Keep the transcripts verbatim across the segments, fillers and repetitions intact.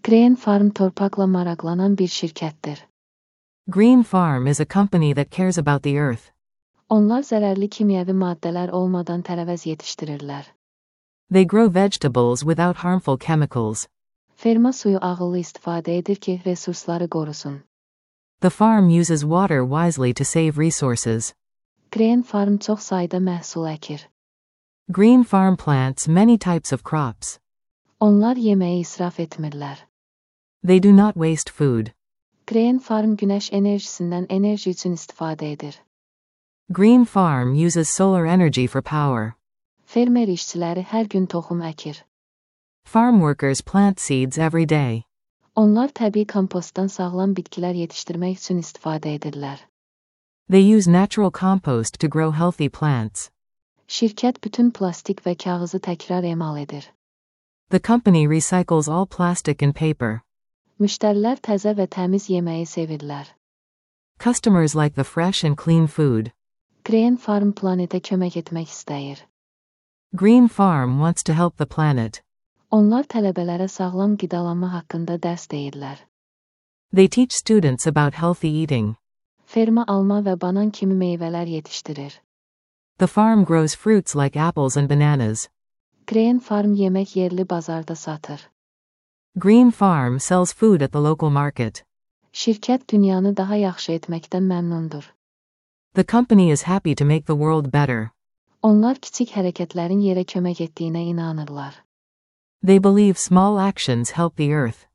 Green Farm torpaqla maraqlanan bir şirkətdir. Green Farm is a company that cares about the earth. Onlar zərərli kimyəvi maddələr olmadan tərəvəz yetişdirirlər. They grow vegetables without harmful chemicals. Ferma suyu ağıllı istifadə edir ki, resursları qorusun. The farm uses water wisely to save resources. Green Farm çox sayda məhsul əkir. Green Farm plants many types of crops. Onlar yeməyi israf etmirlər. They do not waste food. Green Farm günəş enerjisindən enerji üçün istifadə edir. Green Farm uses solar energy for power. Fermer işçiləri hər gün toxum əkir. Farm workers plant seeds every day. Onlar təbii kompostdan sağlam bitkilər yetişdirmək üçün istifadə edirlər. They use natural compost to grow healthy plants. Şirkət bütün plastik və kağızı təkrar emal edir. The company recycles all plastic and paper. Müştərilər təzə və təmiz yeməyi sevirlər. Customers like the fresh and clean food. Green Farm planetə kömək etmək istəyir. Green Farm wants to help the planet. Onlar tələbələrə sağlam qidalanma haqqında dərs deyirlər. They teach students about healthy eating. Ferma alma və banan kimi meyvələr yetişdirir. The farm grows fruits like apples and bananas. Green Farm yemək yerli bazarda satır. Green Farm sells food at the local market. Şirkət dünyanı daha yaxşı etməkdən məmnundur. The company is happy to make the world better. Onlar kiçik hərəkətlərin yerə kömək etdiyinə inanırlar. They believe small actions help the earth.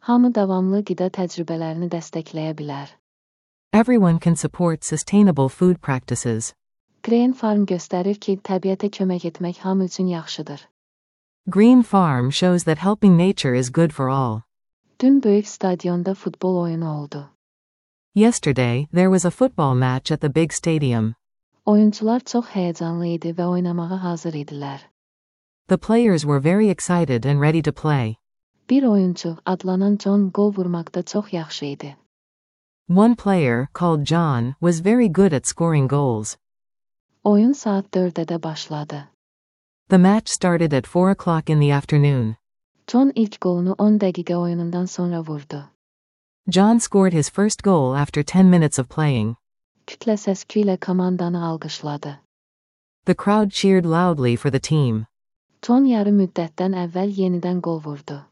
Hamı davamlı qida təcrübələrini dəstəkləyə bilər. Everyone can support sustainable food practices. Green Farm göstərir ki, təbiətə kömək etmək hamı üçün yaxşıdır. Green Farm shows that helping nature is good for all. Dün böyük stadionda futbol oyunu oldu. Yesterday, there was a football match at the big stadium. Oyuncular çox həyəcanlı idi və oynamağa hazır idilər. The players were very excited and ready to play. Bir oyuncu, adlanan John, gol vurmaqda çox yaxşı idi. One player, called John, was very good at scoring goals. Oyun saat dördə başladı. The match started at four o'clock in the afternoon. John ilk golunu on dəqiqə oyunundan sonra vurdu. John scored his first goal after ten minutes of playing. Kütlə səsküyü ilə komandanı alqışladı. The crowd cheered loudly for the team. John yarı müddətdən əvvəl yenidən gol vurdu.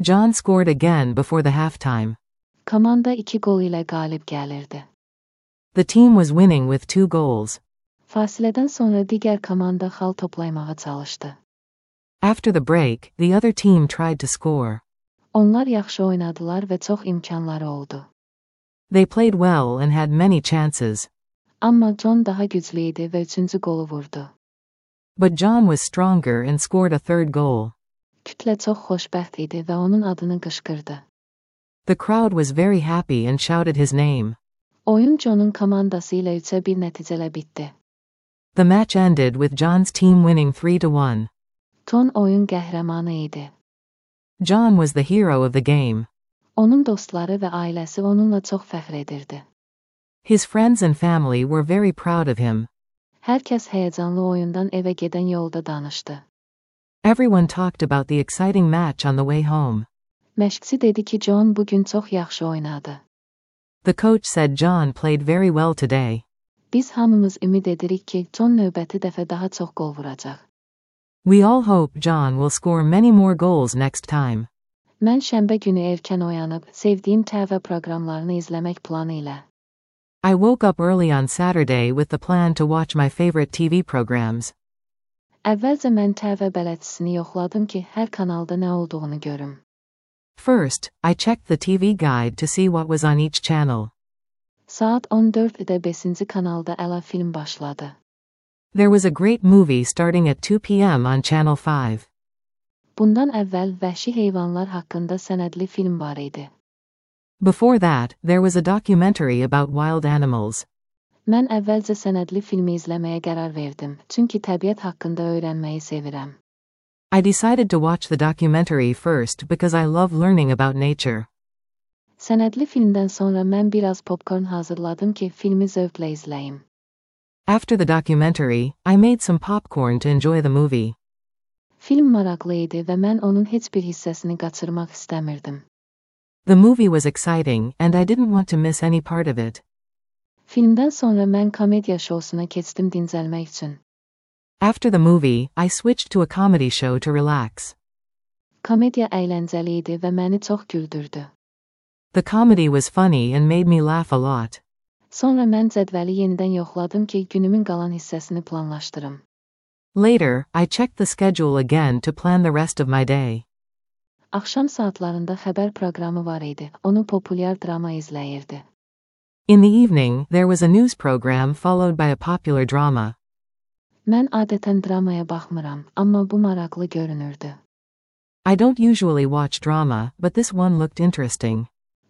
John scored again before the halftime. Komanda iki gol ilə qalib gəlirdi. The team was winning with two goals. Fasilədən sonra digər komanda xal toplaymağa çalışdı. After the break, the other team tried to score. Onlar yaxşı oynadılar və çox imkanları oldu. They played well and had many chances. Amma John daha güclü idi və üçüncü golu vurdu. But John was stronger and scored a third goal. Kütlə çox xoşbəxt idi və onun adını qışqırdı. The crowd was very happy and shouted his name. Oyun John'un komandası ilə üçə bir nəticələ bitdi. The match ended with John's team winning three to one. John oyun qəhrəmanı idi. John was the hero of the game. Onun dostları və ailəsi onunla çox fəxr edirdi. His friends and family were very proud of him. Hər kəs həyəcanlı oyundan evə gedən yolda danışdı. Everyone talked about the exciting match on the way home. Məşqçi dedi ki, John bugün çox yaxşı oynadı. The coach said John played very well today. Biz hamımız ümid edirik ki, John növbəti dəfə daha çox gol vuracaq. We all hope John will score many more goals next time. Mən şənbə günü erkən oyanıb, sevdiyim T V proqramlarını izləmək planı ilə. I woke up early on Saturday with the plan to watch my favorite T V programs. Əvvəlcə mən T V bələdçisini yoxladım ki, hər kanalda nə olduğunu görüm. First, I checked the T V guide to see what was on each channel. Saat on dörddə beşinci kanalda əla film başladı. There was a great movie starting at two p m on Channel five. Bundan əvvəl vəhşi heyvanlar haqqında sənədli film var idi. Before that, there was a documentary about wild animals. Mən əvvəlcə sənədli filmi izləməyə qərar verdim, çünki təbiət haqqında öyrənməyi sevirəm. I decided to watch the documentary first because I love learning about nature. Sənədli filmdən sonra mən biraz popcorn hazırladım ki, filmi zövqlə izləyim. After the documentary, I made some popcorn to enjoy the movie. Film maraqlı idi və mən onun heç bir hissəsini qaçırmaq istəmirdim. The movie was exciting, and I didn't want to miss any part of it. Filmdən sonra mən komediya şousuna keçdim dincəlmək üçün. After the movie, I switched to a comedy show to relax. Komediya əyləncəli idi və məni çox güldürdü. The comedy was funny and made me laugh a lot. Sonra mən cədvəli yenidən yoxladım ki, günümün qalan hissəsini planlaşdırım. Later, I checked the schedule again to plan the rest of my day. Axşam saatlarında xəbər proqramı var idi. Onu populyar drama izləyirdi. In the evening, there was a news program followed by a popular drama. Mən adətən dramaya baxmıram, amma bu maraqlı görünürdü. I don't usually watch drama, but this one looked interesting.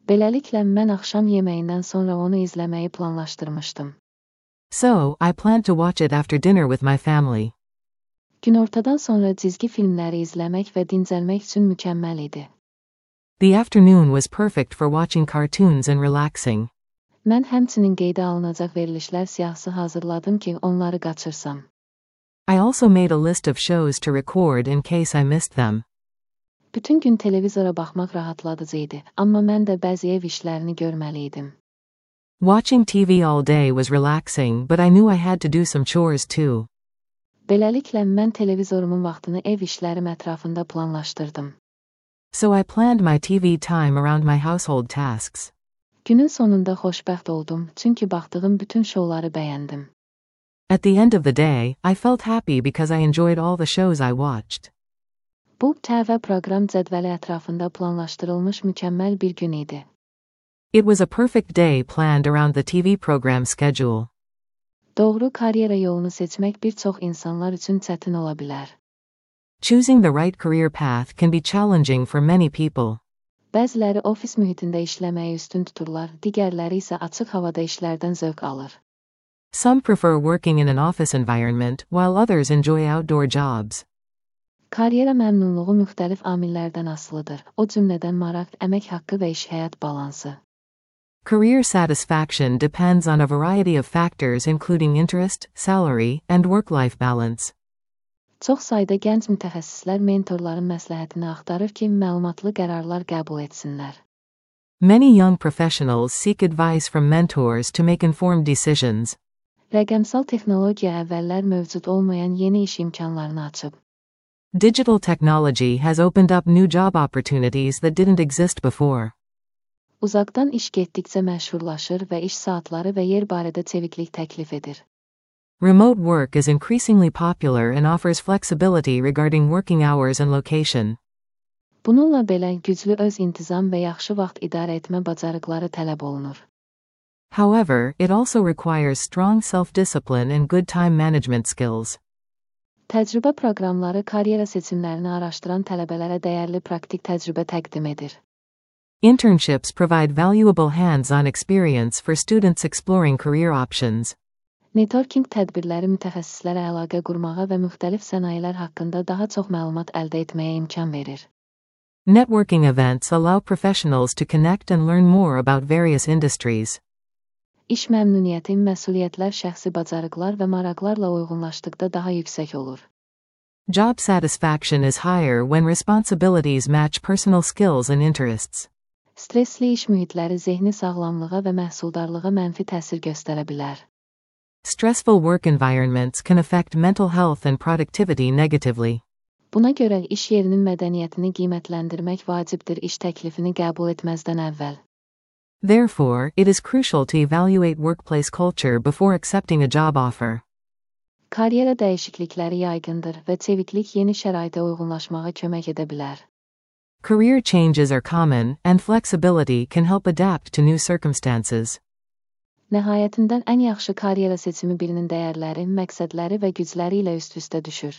Beləliklə, mən axşam yeməyindən sonra onu izləməyi planlaşdırmışdım. So, I planned to watch it after dinner with my family. Günortadan sonra cizgi filmləri izləmək və dincəlmək üçün mükəmməl idi. The afternoon was perfect for watching cartoons and relaxing. Mən həmçinin qeydə alınacaq verilişlər siyahısı hazırladım ki, onları qaçırsam. I also made a list of shows to record in case I missed them. Bütün gün televizora baxmaq rahatladıcı idi, amma mən də bəzi ev işlərini görməli idim. Watching T V all day was relaxing, but I knew I had to do some chores too. Beləliklə, mən televizorumun vaxtını ev işlərim ətrafında planlaşdırdım. So I planned my T V time around my household tasks. Günün sonunda xoşbəxt oldum, çünki baxdığım bütün şouları bəyəndim. At the end of the day, I felt happy because I enjoyed all the shows I watched. Bu, T V proqram cədvəli ətrafında planlaşdırılmış mükəmməl bir gün idi. It was a perfect day planned around the T V program schedule. Doğru karyera yolunu seçmək bir çox insanlar üçün çətin ola bilər. Choosing the right career path can be challenging for many people. Bəziləri ofis mühitində işləməyi üstün tuturlar, digərləri isə açıq havada işlərdən zövq alır. Some prefer working in an office environment, while others enjoy outdoor jobs. Karyera məmnunluğu müxtəlif amillərdən asılıdır, o cümlədən maraq, əmək haqqı və iş-həyat balansı. Career satisfaction depends on a variety of factors including interest, salary, and work-life balance. Çox sayda gənc mütəxəssislər mentorların məsləhətini axtarır ki, məlumatlı qərarlar qəbul etsinlər. Many young professionals seek advice from mentors to make informed decisions. Rəqəmsal texnologiya əvvəllər mövcud olmayan yeni iş imkanlarını açıb. Digital technology has opened up new job opportunities that didn't exist before. Uzaqdan iş getdikcə məşhurlaşır və iş saatları və yer barədə çeviklik təklif edir. Remote work is increasingly popular and offers flexibility regarding working hours and location. Bununla belə güclü öz intizam və yaxşı vaxt idarə etmə bacarıqları tələb olunur. However, it also requires strong self-discipline and good time management skills. Təcrübə proqramları karyera seçimlərini araşdıran tələbələrə dəyərli praktik təcrübə təqdim edir. Internships provide valuable hands-on experience for students exploring career options. Networking tədbirləri mütəxəssislərə əlaqə qurmağa və müxtəlif sənayilər haqqında daha çox məlumat əldə etməyə imkan verir. Networking events allow professionals to connect and learn more about various industries. İş məmnuniyyəti, məsuliyyətlər şəxsi bacarıqlar və maraqlarla uyğunlaşdıqda daha yüksək olur. Job satisfaction is higher when responsibilities match personal skills and interests. Stressli iş mühitləri zehni sağlamlığa və məhsuldarlığa mənfi təsir göstərə bilər. Stressful work environments can affect mental health and productivity negatively. Buna görə iş yerinin mədəniyyətini qiymətləndirmək vacibdir iş təklifini qəbul etməzdən əvvəl. Therefore, it is crucial to evaluate workplace culture before accepting a job offer. Karyera dəyişiklikləri yaygındır və çeviklik yeni şəraitə uyğunlaşmağa kömək edə bilər. Career changes are common, and flexibility can help adapt to new circumstances. Nəhayətində ən yaxşı karyera seçimi birinin dəyərləri, məqsədləri və gücləri ilə üst-üstə düşür.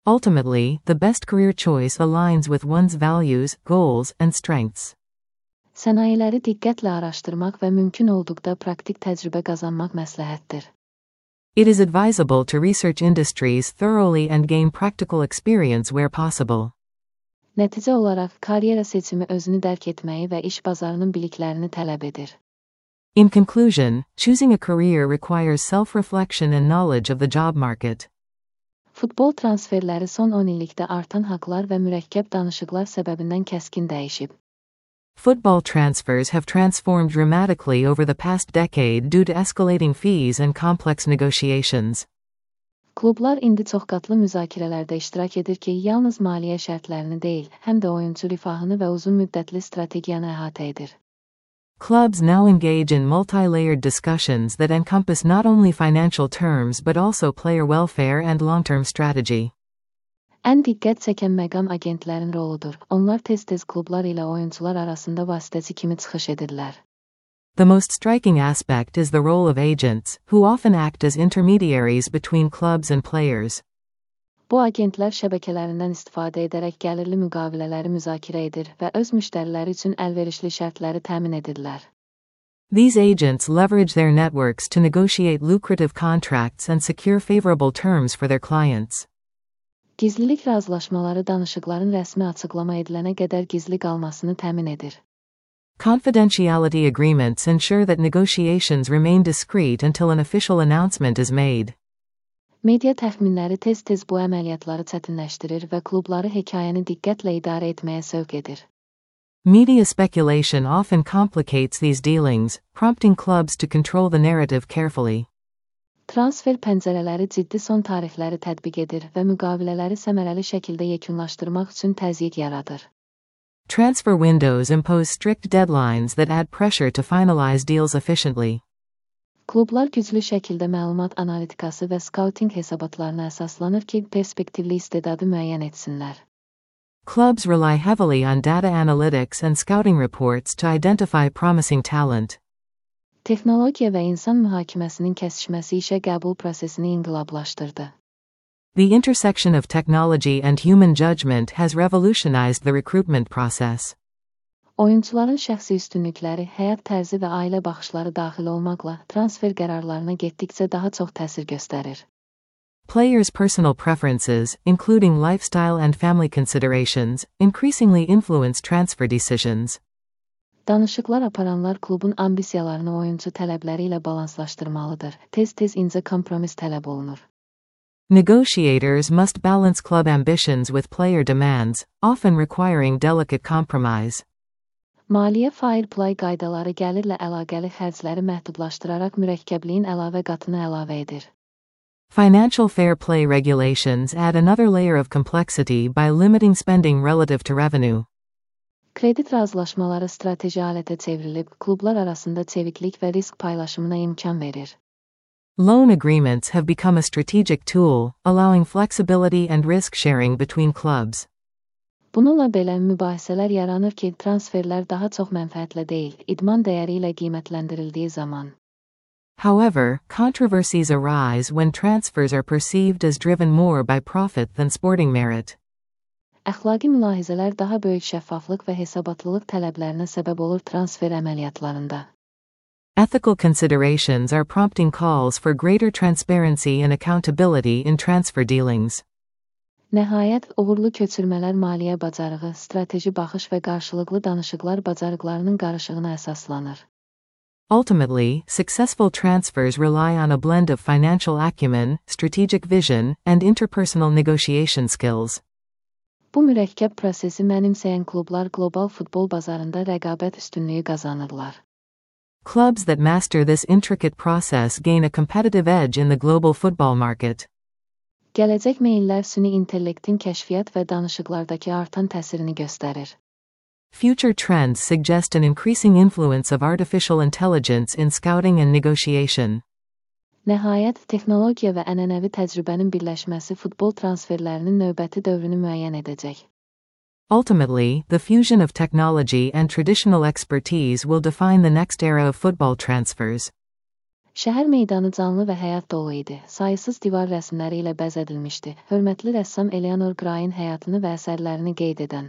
Ultimately, the best career choice aligns with one's values, goals, and strengths. Sənayeləri diqqətlə araşdırmaq və mümkün olduqda praktik təcrübə qazanmaq məsləhətdir. It is advisable to research industries thoroughly and gain practical experience where possible. Nəticə olaraq, karyera seçimi özünü dərk etməyi və iş bazarının biliklərini tələb edir. In conclusion, choosing a career requires self-reflection and knowledge of the job market. Futbol transferləri son on illikdə artan haqlar və mürəkkəb danışıqlar səbəbindən kəskin dəyişib. Football transfers have transformed dramatically over the past decade due to escalating fees and complex negotiations. Klublar indi çoxqatlı müzakirələrdə iştirak edir ki, yalnız maliyyə şərtlərini deyil, həm də oyunçu rifahını və uzun müddətli strategiyanı əhatə edir. Clubs now engage in multi-layered discussions that encompass not only financial terms but also player welfare and long-term strategy. Ən diqqət çəkən məqam agentlərin roludur. Onlar tez-tez klublar ilə oyunçular arasında vasitəçi kimi çıxış edirlər. The most striking aspect is the role of agents, who often act as intermediaries between clubs and players. Bu agentlər şəbəkələrindən istifadə edərək gəlirli müqavilələri müzakirə edir və öz müştəriləri üçün əlverişli şərtləri təmin edirlər. These agents leverage their networks to negotiate lucrative contracts and secure favorable terms for their clients. Gizlilik razılaşmaları danışıqların rəsmi açıqlama edilənə qədər gizli qalmasını təmin edir. Confidentiality agreements ensure that negotiations remain discreet until an official announcement is made. Media təxminləri tez-tez bu əməliyyatları çətinləşdirir və klubları hekayəni diqqətlə idarə etməyə sövq edir. Media speculation often complicates these dealings, prompting clubs to control the narrative carefully. Transfer pəncərələri ciddi son tarixləri tətbiq edir və müqavilələri səmərəli şəkildə yekunlaşdırmaq üçün təzyiq yaradır. Transfer windows impose strict deadlines that add pressure to finalize deals efficiently. Klublar güclü şəkildə məlumat analitikası və skauting hesabatlarına əsaslanır ki, perspektivli istedadı müəyyən etsinlər. Clubs rely heavily on data analytics and scouting reports to identify promising talent. Texnologiya və insan mühakiməsinin kəsişməsi işə qəbul prosesini inqilablaşdırdı. The intersection of technology and human judgment has revolutionized the recruitment process. Oyunçuların şəxsi üstünlükləri, həyat tərzi və ailə baxışları daxil olmaqla transfer qərarlarına getdikcə daha çox təsir göstərir. Players' personal preferences, including lifestyle and family considerations, increasingly influence transfer decisions. Danışıqlar aparanlar klubun ambisiyalarını oyunçu tələbləri ilə balanslaşdırmalıdır. Tez-tez incə kompromis tələb olunur. Negotiators must balance club ambitions with player demands, often requiring delicate compromise. Maliyyə fair play qaydaları gəlirlə əlaqəli xərcləri məhdudlaşdıraraq mürəkkəbliyin əlavə qatını əlavə edir. Financial fair play regulations add another layer of complexity by limiting spending relative to revenue. Kredit razılaşmaları strateji alətə çevrilib, klublar arasında çeviklik və risk paylaşımına imkan verir. Loan agreements have become a strategic tool, allowing flexibility and risk sharing between clubs. Bununla belə mübahisələr yaranır ki, transferlər daha çox mənfəətlə deyil, idman dəyəri ilə qiymətləndirildiyi zaman. However, controversies arise when transfers are perceived as driven more by profit than sporting merit. Əxlaqi mülahizələr daha böyük şəffaflıq və hesabatlılıq tələblərinə səbəb olur transfer əməliyyatlarında. Ethical considerations are prompting calls for greater transparency and accountability in transfer dealings. Nəhayət, uğurlu köçürmələr maliyyə bacarığı, strateji baxış və qarşılıqlı danışıqlar bacarıqlarının qarışığına əsaslanır. Ultimately, successful transfers rely on a blend of financial acumen, strategic vision, and interpersonal negotiation skills. Bu mürəkkəb prosesi mənimsəyən klublar qlobal futbol bazarında rəqabət üstünlüyü qazanırlar. Clubs that master this intricate process gain a competitive edge in the global football market. Gələcək meyillər süni intellektin kəşfiyyat və danışıqlardakı artan təsirini göstərir. Future trends suggest an increasing influence of artificial intelligence in scouting and negotiation. Nəhayət, texnologiya və ənənəvi təcrübənin birləşməsi futbol transferlərinin növbəti dövrünü müəyyən edəcək. Ultimately, the fusion of technology and traditional expertise will define the next era of football transfers. Şəhər meydanı canlı və həyat dolu idi. Sayısız divar rəsmləri ilə bəzədilmişdi. Hörmətli rəssam Eleanor Gray'in həyatını və əsərlərini qeyd edən.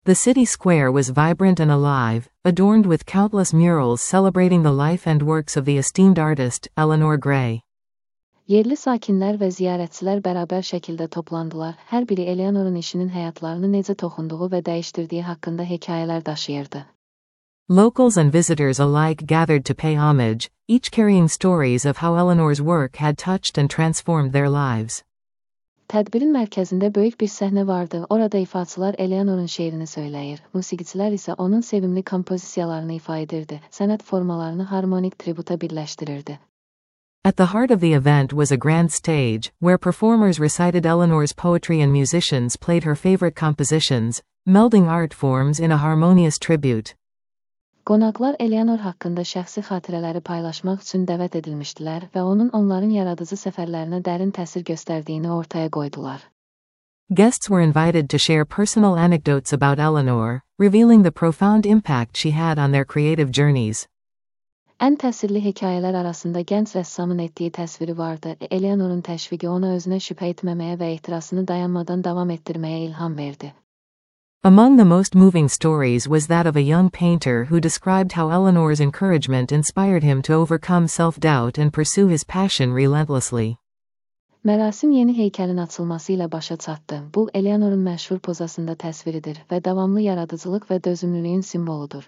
The city square was vibrant and alive, adorned with countless murals celebrating the life and works of the esteemed artist, Eleanor Gray. Yerli sakinlər və ziyarətçilər bərabər şəkildə toplandılar. Hər biri Eleanor'un işinin həyatlarını necə toxunduğu və dəyişdirdiyi haqqında hekayələr daşıyırdı. Locals and visitors alike gathered to pay homage, each carrying stories of how Eleanor's work had touched and transformed their lives. Tədbirin mərkəzində böyük bir səhnə vardı. Orada ifaçılar Eleanorun şeirini söyləyir. Musiqiçilər isə onun sevimli kompozisiyalarını ifa edirdi. Sənət formalarını harmonik tributa birləşdirirdi. At the heart of the event was a grand stage, where performers recited Eleanor's poetry and musicians played her favorite compositions, melding art forms in a harmonious tribute. Qonaqlar Eleanor haqqında şəxsi xatirələri paylaşmaq üçün dəvət edilmişdilər və onun onların yaradıcı səfərlərinə dərin təsir göstərdiyini ortaya qoydular. Guests were invited to share personal anecdotes about Eleanor, revealing the profound impact she had on their creative journeys. Ən təsirli hekayələr arasında gənc rəssamın etdiyi təsviri vardı. Eleanorun təşviqi ona özünə şübhə etməməyə və ehtirasını dayanmadan davam etdirməyə ilham verdi. Among the most moving stories was that of a young painter who described how Eleanor's encouragement inspired him to overcome self-doubt and pursue his passion relentlessly. Mərasim yeni heykəlin açılması ilə başa çatdı. Bu, Eleanorun məşhur pozasında təsviridir və davamlı yaradıcılıq və dözümlülüyün simvoludur.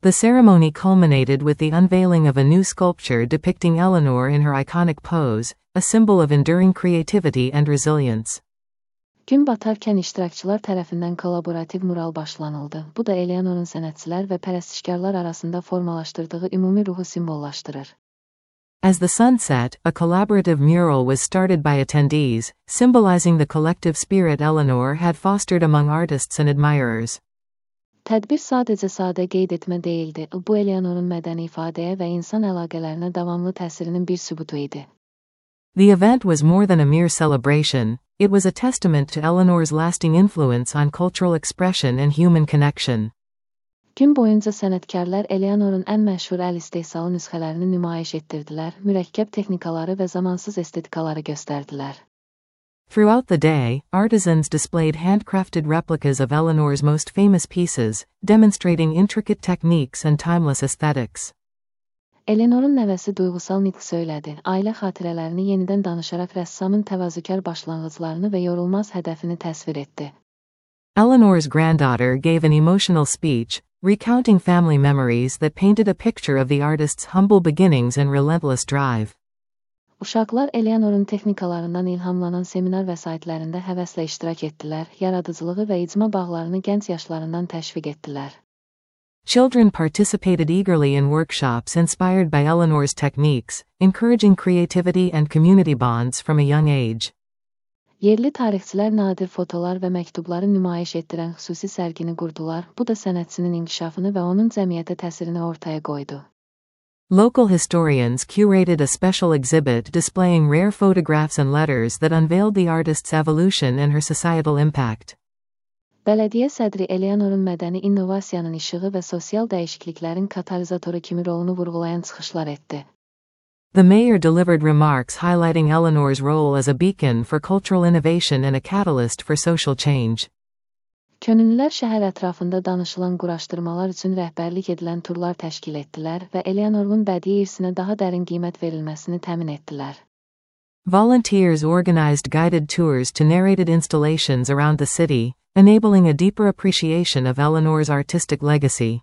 The ceremony culminated with the unveiling of a new sculpture depicting Eleanor in her iconic pose, a symbol of enduring creativity and resilience. Gün batarkən iştirakçılar tərəfindən kollaborativ mural başlanıldı. Bu da Eleanorun sənətçilər və pərəstişkarlar arasında formalaşdırdığı ümumi ruhu simvollaşdırır. As the sun set, a collaborative mural was started by attendees, symbolizing the collective spirit Eleanor had fostered among artists and admirers. Tədbir sadəcə sadə qeyd etmə deyildi. Bu Eleanorun mədəni ifadəyə və insan əlaqələrinə davamlı təsirinin bir sübutu idi. The event was more than a mere celebration. It was a testament to Eleanor's lasting influence on cultural expression and human connection. Gün boyunca sənətkarlar Eleanorun ən məşhur əl istehsalı nüsxələrini nümayiş etdirdilər, mürəkkəb texnikaları və zamansız estetikaları göstərdilər. Throughout the day, artisans displayed handcrafted replicas of Eleanor's most famous pieces, demonstrating intricate techniques and timeless aesthetics. Eleanorun nəvəsi duyğusal nitq söylədi. Ailə xatirələrini yenidən danışaraq rəssamın təvazökar başlanğıclarını və yorulmaz hədəfini təsvir etdi. Eleanor's granddaughter gave an emotional speech, recounting family memories that painted a picture of the artist's humble beginnings and relentless drive. Uşaqlar Eleanorun texnikalarından ilhamlanan seminar vəsaitlərində həvəslə iştirak etdilər, yaradıcılığı və icma bağlarını gənc yaşlarından təşviq etdilər. Children participated eagerly in workshops inspired by Eleanor's techniques, encouraging creativity and community bonds from a young age. Yerli tarixçilər nadir fotolar və məktubları nümayiş etdirən xüsusi sərgini qurdular. Bu da sənətçinin inkişafını və onun cəmiyyətə təsirini ortaya qoydu. Local historians curated a special exhibit displaying rare photographs and letters that unveiled the artist's evolution and her societal impact. Bələdiyyə sədri Eleanorun mədəni innovasiyanın işığı və sosial dəyişikliklərin katalizatoru kimi rolunu vurğulayan çıxışlar etdi. The mayor delivered remarks highlighting Eleanor's role as a beacon for cultural innovation and a catalyst for social change. Könüllülər şəhər ətrafında danışılan quraşdırmalar üçün rəhbərlik edilən turlar təşkil etdilər və Eleanorun bədii irsinə daha dərin qiymət verilməsini təmin etdilər. Volunteers organized guided tours to narrated installations around the city, enabling a deeper appreciation of Eleanor's artistic legacy.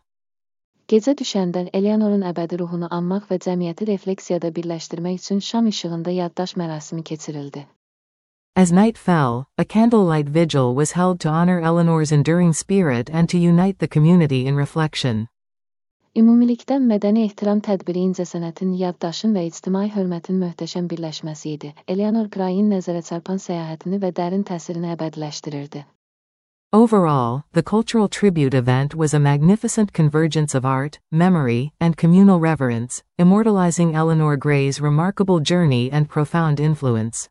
Gecə düşəndə Eleanorun əbədi ruhunu anmaq və cəmiyyəti refleksiyada birləşdirmək üçün şam işığında yaddaş mərasimi keçirildi. As night fell, a candlelight vigil was held to honor Eleanor's enduring spirit and to unite the community in reflection. Ümumilikdə mədəni ehtiram tədbiri incəsənətin, yaddaşın və ictimai hörmətin möhtəşəm birləşməsi idi. Eleanor Gray'in nəzərə çarpan səyahətini və dərin təsirini əbədiləşdirirdi. Overall, the cultural tribute event was a magnificent convergence of art, memory, and communal reverence, immortalizing Eleanor Gray's remarkable journey and profound influence.